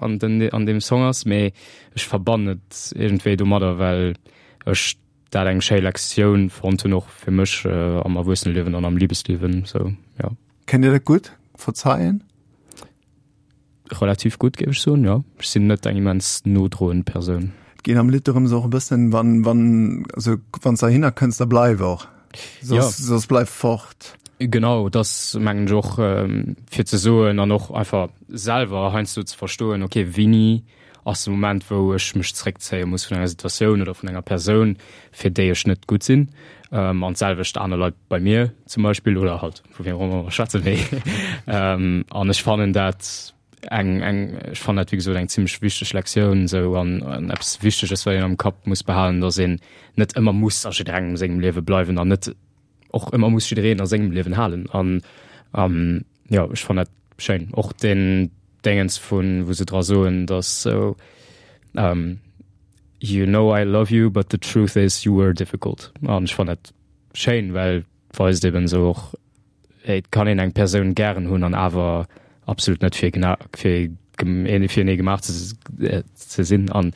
S5: an den, an deem Song ass, mee ech verbannen et iergendwéi domadder, well ech dat eng schéi Lektioun fonnt hunn, och fir mech am Erwuesseneliewen an am Libesliewen, sou, jo.
S1: Kennt Dir dat gutt, verzeien?
S5: Relativ gutt, géif ech soen, jo. Ech sinn net eng immens nodroend Persoun.
S1: Et geet am Lidd dorëms och e bëssen, wann, wann, also wann s de heihinner kënns, da bleif och. Soss, ja. soss bleif fort.
S5: Genau, dat ass mengen ech och fir ze soen an och einfach selwer heiansdo ze verstoen, okay, wéini ass de Moment, wou ech mech zréckzéie muss vun enger Situatioun oder vun enger Persoun, fir déi ech net gutt sinn. An d'selwecht aner Leit bei mir zum Beispill oder halt vu wiem och ëmmer mer schwätzen, mee an ech fannen dat eng eng ech fannen dat wéi gesot eng zimmlech wichteg Lektioun esou an an eppes Wichteges, wat een am Kapp muss behalen, datt een net ëmmer muss a jidderengem sengem Liewe bleiwen an net och ëmmer muss jiddereen a sengem Liewen halen an jo ech fannen dat schéin. Och den Déngens vun wou se dra soen, datt sou you know I love you but the truth is you were difficult an ech fannen dat schéin, well et weist eben sou och et kann een eng Persoun gären hunn an awer absolut net fir fir fir enee gemaach ze ze sinn an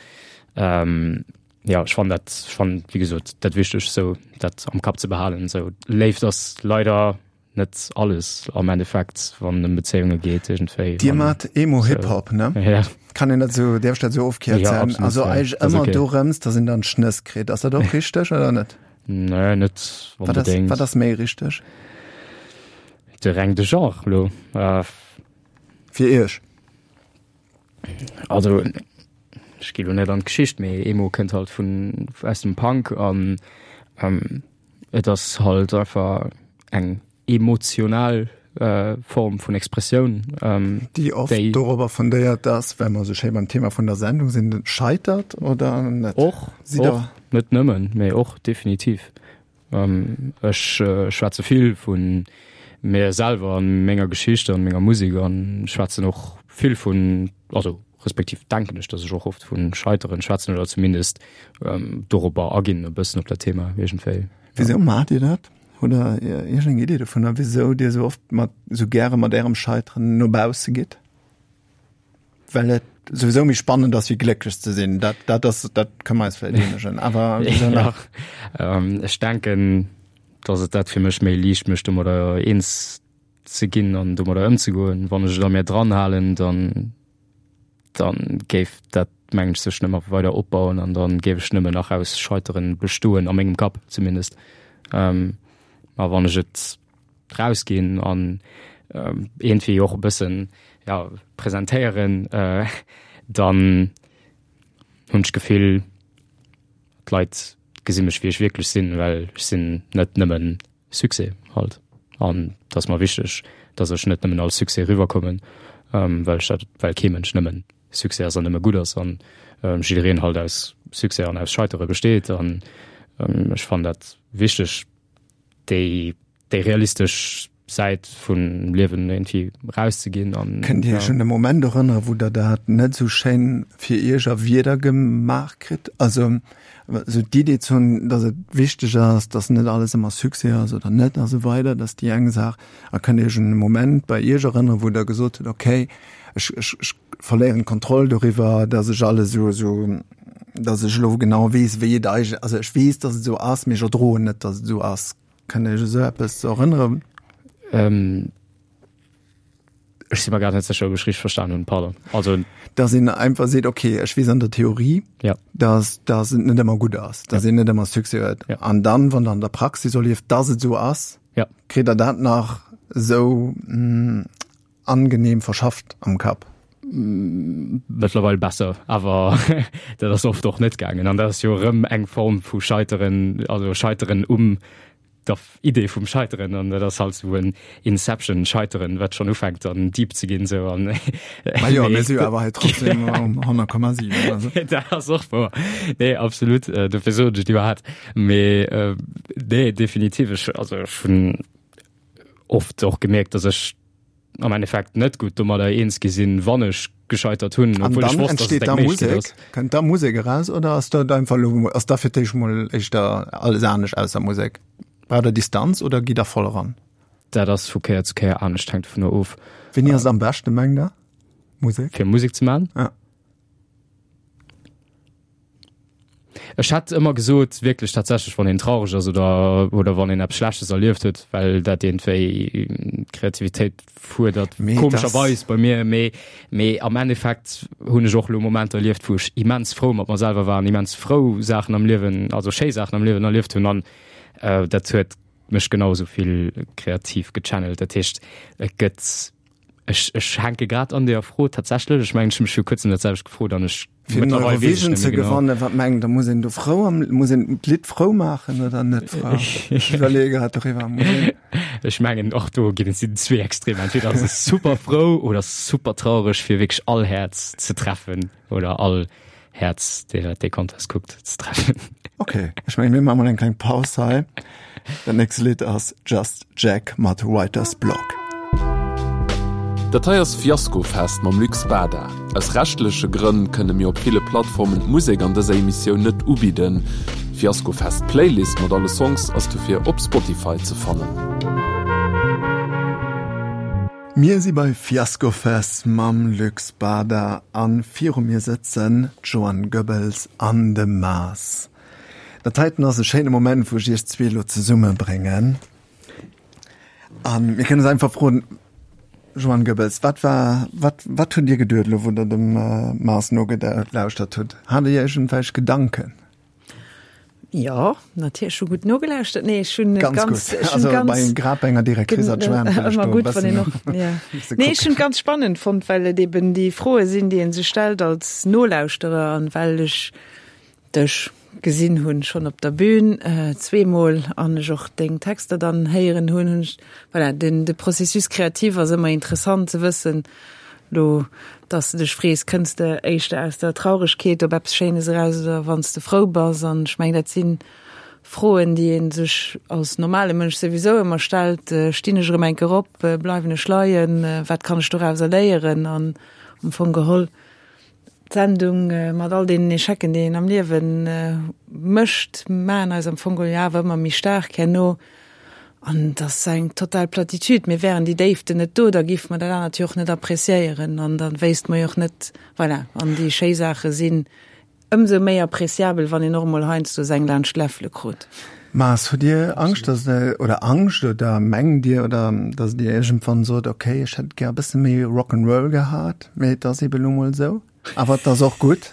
S5: jo ech fannen dat ech fannen wéi gesot dat wichteg sou dat am Kapp ze behalen sou Léift ass leider net alles am Endeffekt wann et ëm Bezéiunge geet iergendwéi.
S1: Dir maacht Emo Hip Hop ne?
S5: Ja.
S1: Kann een dat sou, däerf ech dat sou ofkierzen?
S5: Ja, absolut,
S1: also
S5: ja.
S1: eigentlech
S5: Dat ass
S1: ëmmer
S5: okay.
S1: dorëms, datt een dann Schnëss kritt. Ass dat och richteg oder net?
S5: Nee, net
S1: Wat ass,
S5: onbedéngt.
S1: wat ass méi richteg?
S5: De reng de Genre lo. Äh,
S1: Fir Iech?
S5: Also ech gi lo net an d'Geschicht, mee Emo kënnt halt vun aus dem Punk an ähm, et ass halt einfach eng emotional äh, Form vun Expressioun. Ähm,
S1: Déi oft
S5: déi
S1: dorobber fundéiert ass, well mer sou schéi beim Thema vun der Sendung sinn, scheitert oder net?
S5: Och,
S1: Sidd
S5: och
S1: der?
S5: net nëmmen, mee och definitiv. Ähm, ech äh, schwätze vill vun mir selwer an menger Geschicht an menger Musek an schwätzen och vill vun, also respektiv denken ech, dass ech och oft vun Scheiteren schwätzen oder zumindest ähm, dorobber aginn e bëssen op dat Thema iergendwéi.
S1: Wisou maacht Dir dat? Hutt Der iergend eng Idee dovunner, wisou Dir sou oft mat, sou gäre mat Ärem Scheiteren no bausse gitt? Well et souwisou méi spannend ass wéi glécklech ze sinn, dat, dat ass, dat kënne mer eis vläicht eenegen, awer wisou nach?
S5: Ja, ähm, ech denken, dass et dat fir mech méi liicht mécht, domadder eens ze ginn an domadder ëmzegoen. Wann ech et a mir dran halen, dann dann géif dat mengen ech sech nëmme weider opbauen an dann géif ech nëmme nach aus Scheiteren bestoen, a mengem Kapp zumindest. Ähm, a wann ech et rausginn an ähm, iergendwéi och e bëssen ja, presentéieren, äh, dann hunn ech d'Gefill, d'Leit gesi mech wéi ech wierklech sinn, well ech sinn net nëmmen Succès halt. An dat ass mer wichteg, dass ech net nëmmen als Succès eriwwerkommen, ähm, well ech dat, well kee Mënsch nëmmen Succès ass an nëmme gutt ass an ähm, jiddereen halt aus Succès an aus Scheitere besteet an ähm, ech fannen dat wichteg, déi, déi realistesch Säit vum Liewen iergendwéi rauszeginn an
S1: Kënnt Dir Iech un e Moment erënneren, wou Der dat net esou schéin fir Iech a Wierder gemaach kritt? Also esou d'Idee ze hunn, datt et wichteg ass, datt net alles ëmmer Succès ass oder net a sou weider, dat ass déi eng Saach. A kënnt Dir Iech un e Moment bei Iech erënneren, wou Der gesot hutt, okay, ech, ech, ech verléieren d'Kontroll doriwwer, datt ech alles esou, esou, datt ech elo genau weess, wéi et eigentlech, also ech weess, datt et esou ass, mee ech erdroen net, datt et esou ass. Kënnt Dir Iech u sou eppes erënneren?
S5: Ähm, ech si mer grad net sécher, ob ech richteg verstan hunn, pardon. Also,
S1: Dass een einfach seet, okay, ech weess an der Theorie,
S5: ja.
S1: dass, dass et net ëmmer gutt ass, dass
S5: Ja.
S1: een net ëmmer Succès huet.
S5: Ja.
S1: An dann, wann der an der Praxis erlieft, dass et esou ass,
S5: Ja.
S1: kritt der dat nach esou mm, angenehm verschafft am Kapp?
S5: Mëttlerweil besser, awer dat ass oft och net gaangen. An dat ass jo erëm eng Form vu Scheiteren, also Scheiteren um der Idee vum Scheiteren an dat ass halt sou en Inception Scheiteren, wat schonn ufänkt dann deep ze ginn sou an
S1: Ma jo, mir si jo awer hei trotzdem um honnert Komma siwen, also.
S5: Dat ass och wouer. Nee, absolut, äh, dofir soen ech et iwwerhaapt. Mee äh, nee, definitiv, ech, also ech hunn oft och gemierkt, dass ech am Endeffekt net gutt domadder eens gi sinn, wann ech gescheitert hunn,
S1: An
S5: obwuel ech
S1: dann
S5: wosst, dass et
S1: entsteet
S5: eng
S1: da
S5: Méiglechkeet
S1: Musek?
S5: ass.
S1: Kënnt da Musek eraus oder ass dat einfach lo, ass da fir d'éischt mol éischter alles anescht ausser Musek? Braucht der Distanz oder gitt der voll eran?
S5: Dat ass vu Kéier zu Kéier anescht, hänkt dovunner of.
S1: Wéini ass et am beschten, mengt der, Musek?
S5: Fir Musek ze man?
S1: Ja.
S5: Ech hätt ëmmer gesot, wierklech tatsächlech, wann een traureg ass oder, oder wann een eppes Schlechtes erlieft huet, well dat iergendwéi d'Kreativitéit fuerdert,
S1: Mee das-
S5: komescherweis bei mir. Mee, mee am Endeffekt hunn ech och elo Momenter erlieft, wou ech immens frou mat mer selwer war an immens frou Saachen am Liewen, also schéi Saachen am Liewen erlieft hunn an äh, dat huet mech genau esou vill kreativ gechannelt. Dat heescht, et gëtt Ech, ech hänke grad an deeër Fro tatsächlech. Ech mengen, ech hu mech viru kuerzem dat selwecht gefrot an ech
S1: Fir den
S5: mëttlerweil weess ech
S1: Eurovision
S5: net
S1: ze
S5: méi genau.
S1: gewannen, wat mengt der, muss een do frou am, muss een d'Lidd frou maachen oder net frou? Ech iwwerleeë grad doriwwer, muss een.
S5: Ech mengen, och do ginn et sinn zwee Extremer. Entweder ass es super frou oder super traureg, fir wierklech all Häerz ze treffen oder all Häerz, dee dat dee Contest kuckt, ze treffen.
S1: Ok, ech mengen, mir maache mol eng kleng Paus hei. Dat nächst Lidd ass Just Jack mat Writer's Block.
S3: Dat hei ass Fiaskofest mam Luc Spada. Aus rechtleche Grënn kënne mir op ville Plattformen d'Musek an dëser Emissioun net ubidden. D'Fiaskofest Playlist mat alle Songs ass dofir op Spotify ze fannen.
S1: Mir si bei Fiaskofest mam Luc Spada an viru mir sëtzen d'Joanne Goebbels an de Maas. Dat heiten ass e schéine Moment, wou ech iech zwee elo zesummebréngen. An mir kënnen eis einfach froen, Joanne Goebbels, wat war, wat, wat hutt Dir geduet elo, wou Der dem Maas nogelauschtert hutt? Hat Dir iergendwelch Gedanken?
S2: Jo, natierlech, ech hu gutt nogelauschtert. Nee, ech hunn
S1: Ganz
S2: ganz,
S1: gutt.
S2: ech hunn
S1: Also
S2: ganz
S1: bei, grad bei enger Directrice adjointe wëll ech
S2: ëmmer
S1: do e
S2: gutt, wann
S1: bëssen
S2: een och, ja.
S1: bësse
S2: Nee, ech
S1: kucken.
S2: hunn ganz spannend fonnt, well et eben déi Froe sinn, déi een sech stellt als Nolauschterer an well ech dech gesinn hunn schonn op der Bühn zweemol an ech och deng Texter dann héieren hunn, hunn ech, voilà, den de Processus créatif ass ëmmer interessant ze wëssen, lo dass de dech frees, kënns de éischter aus der Trauregkeet op eppes Schéines eraus oder wann s de frou bass an ech mengen dat si Froen, déi ee sech als normale Mënsch souwisou ëmmer stellt, stinn ech erëm eng Kéier op, bleiwen ech leien, wat kann ech dorauser léieren an am Fong geholl D'Sendung mat all deenen Echecken, déi een am Liewe mécht, maachen eis am Fong geholl jo awer ëmmer méi staark herno. An et ass eng total Platitude, mee wären déi Déiften net do, da géife mer dat anert jo och net appréciéieren an da wéisste mer jo och net, voilà. An déi schéi Saache sinn ëmsou méi appréciabel, wann een och emol heiansdo seng laanscht d'Läffele krut.
S1: Mars, hutt Dir Angscht, dass Der, oder Angscht oder mengt Dir oder dass Dir iergendwann sot, okay, ech hätt gär e bësse méi Rock'n'Roll gehat, mee et ass eebe lo mol esou, awer et ass och gutt?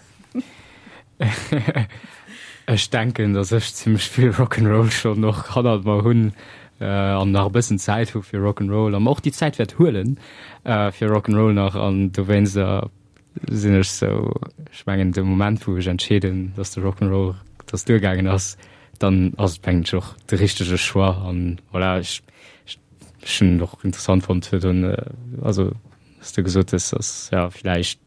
S5: Ech denken, dass ech zimmlech vill Rock'n'Roll schonn och hannert mer hunn an nach e bëssen Zäit hu fir Rock'n'Roll a mer och déi Zäit wäert huelen fir Rock'n'Roll nach an dowéinster sinn ech sou, ech mengen de Moment wou ech entscheeden, dass de Rock'n'Roll, dass duergaangen ass, dann ass et mengen ech och de richtege Choix an voilà, ech ech hunn et och interessant fonnt virdrun, also dass du gesot hues, dass ja villäicht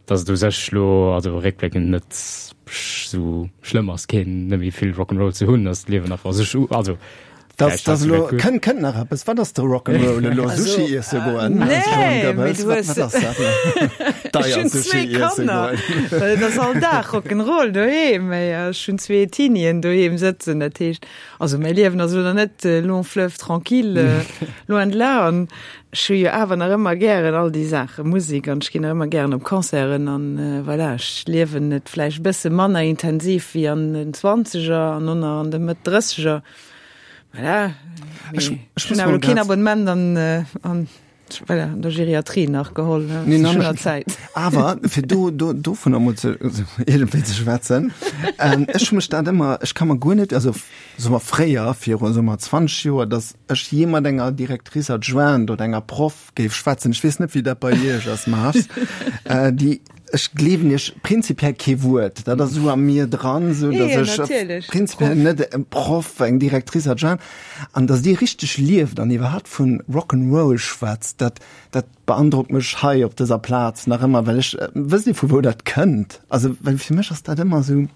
S5: dass et u sech lo, also réckbléckend net sou schlëmm ass keen net méi vill Rock'n'Roll ze hunn, dass d'Liewen einfach sech u also
S1: Das, das lo, kënnt, kënnt nach eppes? Wat ass de Rock'n'Roll elo? Sushi iesse goen?
S2: Nee, mee du hues.
S1: Wat ass dat?
S2: Ech hunn zwee Kanner. Et ass all Dag Rock'n'Roll doheem. Mee ech hunn zwee Teenien doheem sëtzen. Dat heescht, also mäi Liewen ass elo nach net long fleuve tranquille, loin de là. An ech hu jo awer nach ëmmer gären all déi Saachen, Musek, an ech ginn nach ëmmer gären op Concerten an voilà, ech liewen et vläicht e bësse manner intensiv wéi an den Zwanzeger an och nach an de Mëtt Drësseger. Voilà.
S1: Ech,
S2: ech hunn awer keen Abonnement an, an, voilà, an der Geriatrie nach geholl.
S1: Nee, schon der Zäit. Awer fir do, do, dovun emol ze, iergendwéi ze schwätzen, ähm, ech hu mech dat ëmmer, ech ka mer guer net, also soe mer fréier, viru soe mer zwanzeg Joer, datt ech jee mat enger Directrice adjointe oder enger Proff géif schwätzen, ech weess net wéi dat bei Iech ass, Mars, äh, déi, Ech gleewen iech prinzipiell kee Wuert. Dat ass esou a mir dran, esou datt ech prinzipiell net e Proff, eng Directrice adjointe, an datt dir richteg lieft an iwwerhaapt vu Rock 'n' Roll schwätzt, dat, dat beandrockt mech hei op dëser Plaz nach ëmmer, well ech, wësst Dir vu wou dat kënnt? Also well fir mech ass dat ëmmer esou,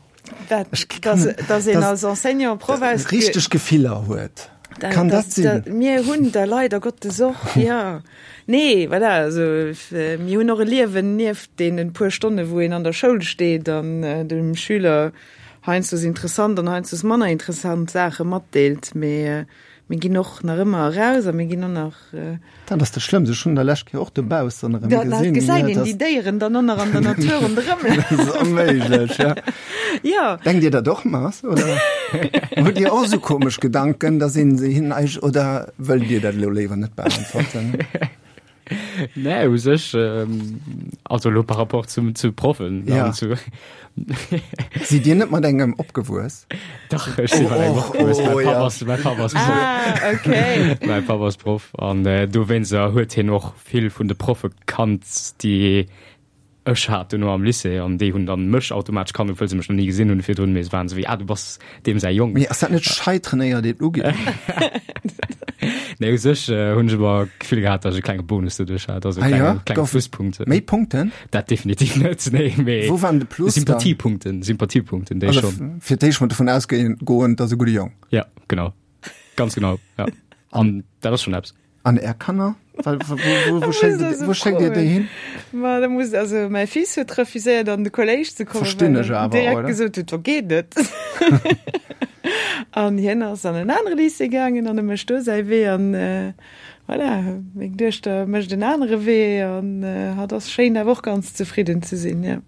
S2: Dat, dass, dass een als Enseignant, Proff aus.
S1: Richteg Gefiller huet. Kann dat sinn?
S2: Mir hunn der leider Gottes och, jo. Nee, voilà, also mir hunn och e Liewen nieft deenen puer Stonne wou een an der Schoul steet an dem Schüler heiansdo interessant an heiansdo manner interessant Saache matdeelt. Mee mir ginn och nach ëmmer eraus a mir ginn och nach.
S1: Dat ass dat Schlëmmst. Ech hunn der lescht Kéier och dobaussen erëm
S2: gesinn. Da gesäit een déi Déieren dann och nach an der Natur ronderëm
S1: lafen. Dat ass onméiglech, ja.
S2: Jo.
S1: Denkt Dir dat och, Mars, oder hutt Dir och esou komesch Gedanken, dass een se hinnen eig-, oder wëllt Dir dat elo léiwer net beäntwerten?
S5: Nee, u sech, also elo par rapport zum, zu Proffen.
S1: Ja.
S5: Zu
S1: Sidd Dir net mat engem opgewuess?
S5: Dach, ech si mat engem opgewuess. Mäi Papp ass, mäi Papp ass Proff.
S2: Ah, okay.
S5: Mäi Papp ass Proff an dowéinst huet hien och vill vun de Proffe kannt, déi ech hat duerno am Lycée an déi hunn dann mech automatesch kannt, obwuel se mech nach ni gesinn hunn virdrun, mee se waren esou wéi, ah du bass deem säi Jong.
S1: Mee ass dat net Scheiteren éier et ugeet?
S5: Nee, u sech hunn ech ëmmer d'Gefill gehat, datt ech e klenge Bonus doduerch hat, also e
S1: Ah
S5: klenge,
S1: ja?
S5: klenge
S1: Gouf
S5: Pluspunkt.
S1: Méi Punkten?
S5: Dat definitiv net, nee, mee
S1: Wou waren de Plus dann?
S5: Sympathiepunkten, Sympathiepunkten, déi
S1: Also
S5: schonn.
S1: fir d'éischt mol dovun ausgoen, goen, et ass e gudde Jong.
S5: Ja, genau. Ganz genau, ja. An dat ass schonn eppes.
S1: An Är Kanner? Wou schéckt Dir déi hin?
S2: Ma da muss, also mäi Fils huet refuséiert an de Kolléisch ze kommen,
S1: Verstinn
S2: well
S1: ech
S2: en
S1: awer,
S2: direkt
S1: oder?
S2: gesot huet, do geet net. An hien ass an en anere Lycée gaangen an e mécht do säi Wee an voilà, meng Duechter mécht en anere Wee an hatt ass, schéint awer och ganz zefridden ze sinn, jo.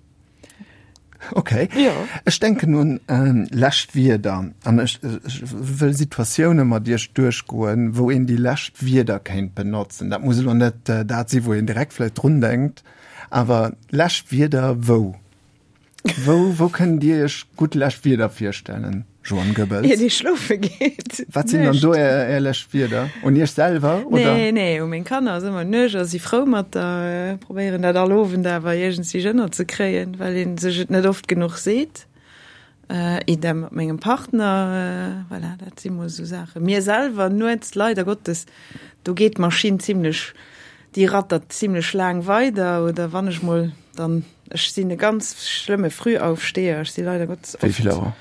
S1: Ok.
S2: Jo.
S1: Ech denken un lescht Wierder an ech wëll Situatioune mat Iech duerchgoen, wou een déi lescht Wierder kéint benotzen. Dat muss elo net dat si wou een direkt vläicht drun denkt, awer lescht Wierder wou? Wou, wou kënnt Dir Iech gutt lescht Wierder virstellen? Joanne Goebbels.
S2: Ier Dir schlofe geet.
S1: Wat sinn dann do Är, Är lescht Wierder? Un Iech selwer, oder?
S2: Nee, nee, u meng Kanner ass ëmmer Nuecht a si frou mat der. Probéieren dat all Owend awer iergendswéi ënner ze kréien, well ee sech et net oft genuch seet. Idem mat mengem Partner. Voilà, dat si mol esou Saachen. Mir selwer nuets, leider Gottes, do geet d'Maschinn zimlech, déi rattert zimlech laang weider. Oder wann ech mol dann, ech sinn e ganz schlëmme Frühaufsteher, ech si leider Gottes oft.
S1: Wéi vill Auer?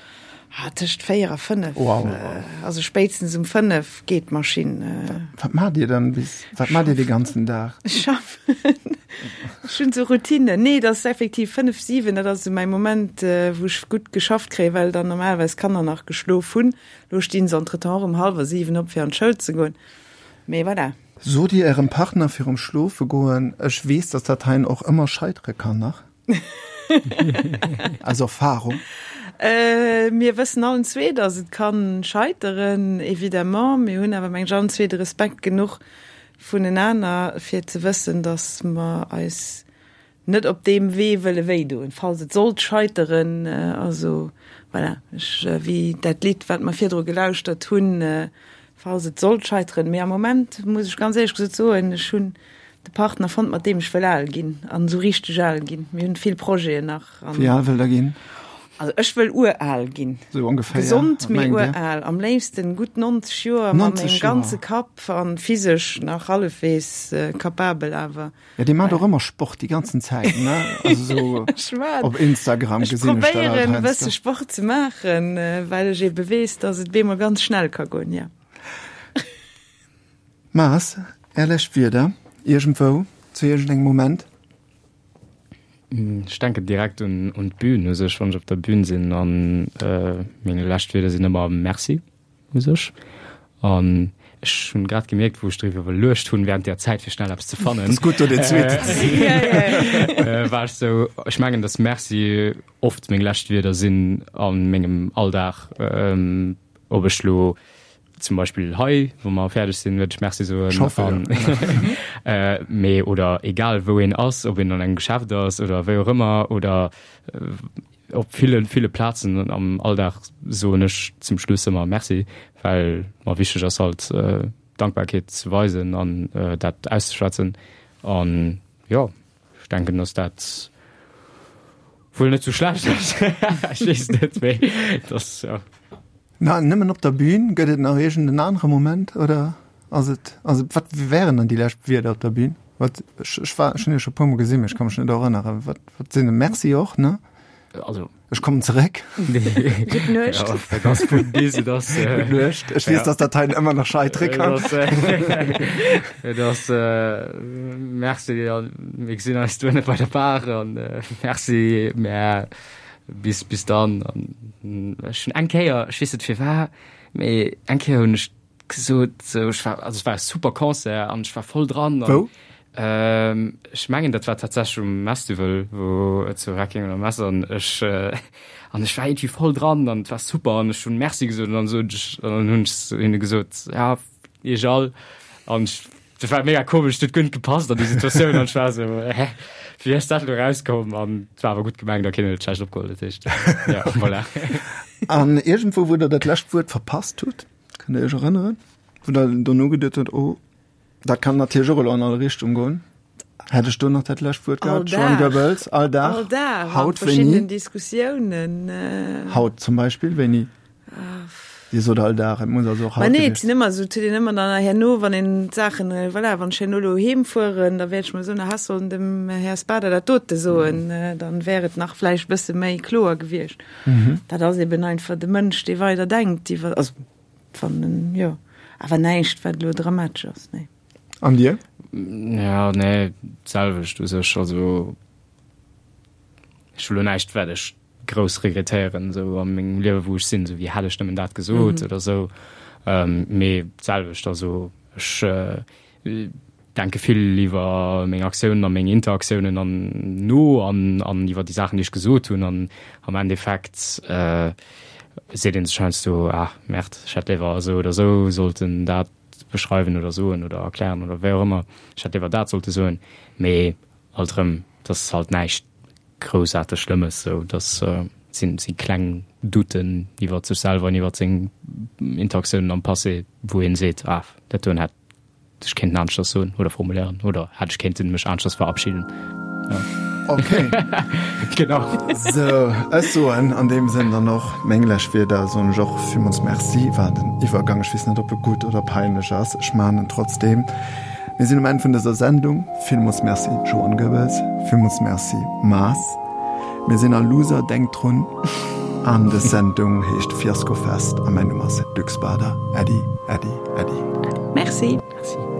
S2: Ah, tëscht véier a fënnef.
S1: Wow.
S2: Also spéitstens um fënnef geet d'Maschinn.
S1: Wat maacht Dir dann bis, wat maacht Dir de ganzen Dag?
S2: Schaffen. Ech hunn esou Routinen. Nee, dat ass effektiv fënnef, siwen, dat ass esou mäi Moment, wou ech gutt geschafft kréien, well dann normalerweis d'Kanner nach geschlof hunn. Elo stinn se entretemps och um hallwer siwen op, fir an d'Schoul ze goen. Mee voilà.
S1: Sot Dir Ärem Partner virum Schlofe goen, Ech weess, dass dat heien och ëmmer scheitere kann, nach? Aus Erfahrung?
S2: Mir wëssen allen zwee, dass et kann scheiteren, évidemment. Mir hunn awer, meng ech, allen zwee de Respekt genuch vunenaner, fir ze wëssen, dass mer eis net op deem Wee wëlle wéidoen, falls et sollt scheiteren. Also voilà, ech, wéi dat Lidd, wat mer virdru gelauschtert hunn, falls et sollt scheiteren. Mee am Moment muss ech ganz éierlech gesot soen, ech hunn de Partner fonnt, mat deem ech wëll al ginn, an esou richteg al ginn. Mir hunn vill Projeten nach.
S1: Wéi al wëllt Der ginn?
S2: Also ech wëll ural ginn.
S1: Esou ongeféier,
S2: Gesond,
S1: wat
S2: mee
S1: mengt Dir?
S2: ural. Am léifsten gutt nonzeg Joer, mat
S1: nonzeg
S2: mengem
S1: Joer.
S2: ganze Kapp an physesch nach hallefwees capabel awer.
S1: Ja, Dir maacht och ëmmer Sport déi ganzen Zäit, ne? Also esou
S2: Ech maan,
S1: op Instagram
S2: ech
S1: gesinn ech dat alt
S2: probéieren e
S1: heiansdo.
S2: bësse Sport ze maachen, well ech ebe weess, dass et bemol ganz schnell ka goen, jo.
S1: Mars, Är lescht Wierder, iergendwou, zu iergendengem Moment?
S5: Ech denken direkt un un d'Bün u sech, wann ech op der Bün sinn an meng lescht Wierder sinn ëmmer Merci u sech. An ech hunn grad gemierkt, wou ech driwwer iwwerluecht hunn während där Zäit fir schnell eppes ze fannen,
S1: Ass gutt do deen zweeten.
S5: war ech sou, ech mengen, dass Merci oft meng lescht Wierder sinn a mengem Alldag, ob ech lo zum Beispill hei, wou mer fäerdeg sinn, wäert ech Merci soen.
S1: Ech hoffe,
S5: An,
S1: ja.
S5: mee oder egal wou een ass, ob een an engem Geschäft ass oder wéi och ëmmer oder op ville, ville Plazen am Alldag soen ech zum Schluss ëmmer Merci, well mer wichteg ass halt Dankbarkeet ze weisen an dat auszeschwätzen. An jo, ech denken, dass dat wuel net sou schlecht ass. Ech weess net, mee dass, jo.
S1: Na, nëmmen op der Bühn? Gëtt et nach iergend en anere Moment oder ass et, also wat wären dann déi lescht Wierder op der Bühn? Wat, ech, ech war, ech hunn Iech scho e puermol gesinn, mee ech ka mech net erënneren. Wat, wat sinn et? Merci och, ne?
S5: Also.
S1: Ech kommen zeréck.
S2: Gutt Nuecht.
S5: Ja, dat ass vun bis, et ass.
S1: Gutt Nuecht. Ech weess,
S5: Ja.
S1: dass dat hei ëmmer nach scheitere kann.
S5: Et ass, et ass, Merci, a mir gesinn eis duerno bei der Bar an Merci, mä bis, bis dann. An ech hunn eng Kéier, ech weess net firwat, mee eng Kéier hunn ech gesot, sou, ech war, also et war e super Concert an ech war voll dran an,
S1: Wou?
S5: ähm, ech mengen, dat war tatsächlech um Festival, wou zu Reckeng oder Mess an ech, äh, an ech war irgendwie voll dran an et war super an ech hunn Merci gesot an dann sot ech, an dann hunn ech zu hinne gesot, ja, iech all an ech, dat war mega komesch, dat huet guer net gepasst an déi Situatioun an ech war sou, hä, wéi ass dat elo erauskomm an et war awer gutt gemengt a keen huet et schlecht opgeholl, dat heescht, ja, voilà.
S1: An iergendwou, wou der dat lescht Wuert verpasst hutt, kënnt der iech erënneren, wou der dono geduet hutt, oh, dat kann natierlech och elo an all Richtung goen, hätt ech do nach dat lescht Wuert
S2: All
S1: gehat, Joan
S2: Dag.
S1: Goebbels, all Dag,
S2: All Dag, an
S1: haut,
S2: verschiddenen
S1: wéini?
S2: Diskussiounen.
S1: Haut zum Beispill, wéini? Dir sot all Dag, et muss also och
S2: Ma
S1: haut
S2: nee, et
S1: gewiescht
S2: sinn ëmmer esou, et huet een ëmmer dann herno, wann een d'Saachen, voilà, wann ech herno elo heem fueren, da wäert ech mer soen, ah, häss sollen dem Här Spada dat dote soen, dann wär et nach vläicht e bësse méi kloer gewiescht. Dat ass eben einfach de Mënsch, dee weider denkt iwwer, also wann en, jo, awer näischt, wat elo dramatesch ass, nee.
S1: An dir?
S5: Ja, nee, d'selwecht u sech. Also ech hu lo näischt, wat ech grouss regrettéieren esou a mengem Liewe wou ech sinn, esou wéi hätt ech nëmmen dat gesot oder esou. Mee d'selwecht, also ech denke vill iwwer meng Aktiounen a meng Interaktiounen an no an an iwwer déi Saachen déi ech gesot hunn an am Endeffekt seet een sech heiansdo, ah Merde, ech hätt léiwer esou oder esou sollten dat beschreiwen oder soen oder erklären oder wéi och ëmmer, ech hätt léiwer dat sollte soen. Mee alt erëm, et ass halt näischt groussaarteg Schlëmmes, sou dass sinn si kleng Douten iwwer sech selwer an iwwer seng Interaktiounen am Passé, wou een seet, ah dat doen hätt ech kéinten aneschters soen oder formuléieren oder hätt ech kéinten mech aneschters verabschieden. Ja.
S1: Okay.
S5: Genau.
S1: Sou, ech soen an deem Sënn dann och meng lescht Wierder, soen ech och villmools Merci. War den Iwwergang, ech weess net, ob e gutt oder peinlech ass, ech maachen en trotzdem. Mir sinn um Enn vun dëser Sendung. Villmools Merci Joan Goebbels, villmools Merci Maas. Mir sinn a Loser, denkt drun. An dës Sendung heescht Fiaskofest a mäin Numm ass Luc Bader. Äddi, äddi, äddi.
S2: Merci.
S5: Merci.